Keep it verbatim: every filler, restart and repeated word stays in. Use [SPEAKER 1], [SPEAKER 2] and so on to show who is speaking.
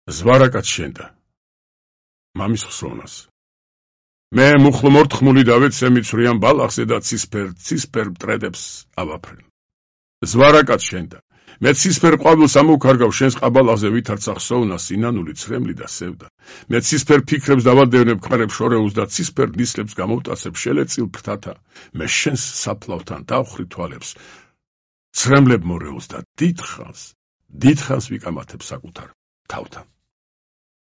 [SPEAKER 1] ზვარაკაც შენდა მამის ხსოვნას მე მუხლ მორთხმული დავეცე მიცვრიან ბალახზე და ცისფერ ცისფერ მტრედებს ავაფრენ ზვარაკაც შენდა მე ცისფერ ყვავილს ამოვქარგავ შენს ყაბალახზე ვითარცა ხსოვნა სინანული ცრემლი და სევდა მე ცისფერ ფიქრებს დავადევნებ ქარებს შორეულს და ცისფერ ნისლებს გამოვტაცებ შელეწილ ფრთათა მე შენს საფლავთან დავხრი თვალებს ცრემლებ მორეულს და დიდხანს დიდხანს ვიკამათებ საკუთარ თავთან